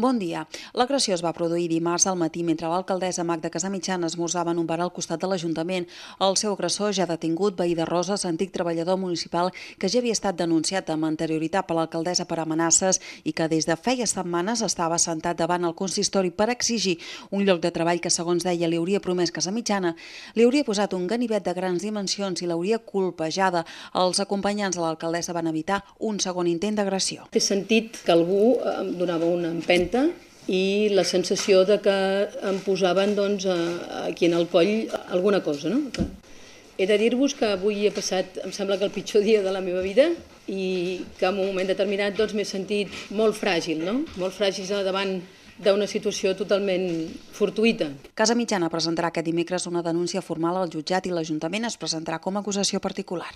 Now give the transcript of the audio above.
Bon dia. L'agressió es va produir dimarts al matí mentre l'alcaldessa Magda Casamitjana esmorzava en un bar al costat de l'Ajuntament. El seu agressor, ja detingut, veí de Roses, antic treballador municipal que ja havia estat denunciat amb anterioritat per l'alcaldessa per amenaces i que des de feia setmanes estava assentat davant el consistori per exigir un lloc de treball que, segons deia, li hauria promès Casamitjana, li hauria posat un ganivet de grans dimensions i l'hauria colpejada. Els acompanyants de l'alcaldessa van evitar un segon intent d'agressió. He sentit que algú em donava una empenta i la sensació de que em posaven aquí en el coll alguna cosa. No? He de dir-vos que avui he passat, em sembla que el pitjor dia de la meva vida i que en un moment determinat m'he sentit molt fràgil, no? Molt fràgil davant d'una situació totalment fortuïta. Casamitjana presentarà aquest dimecres una denúncia formal al jutjat i l'Ajuntament es presentarà com a acusació particular.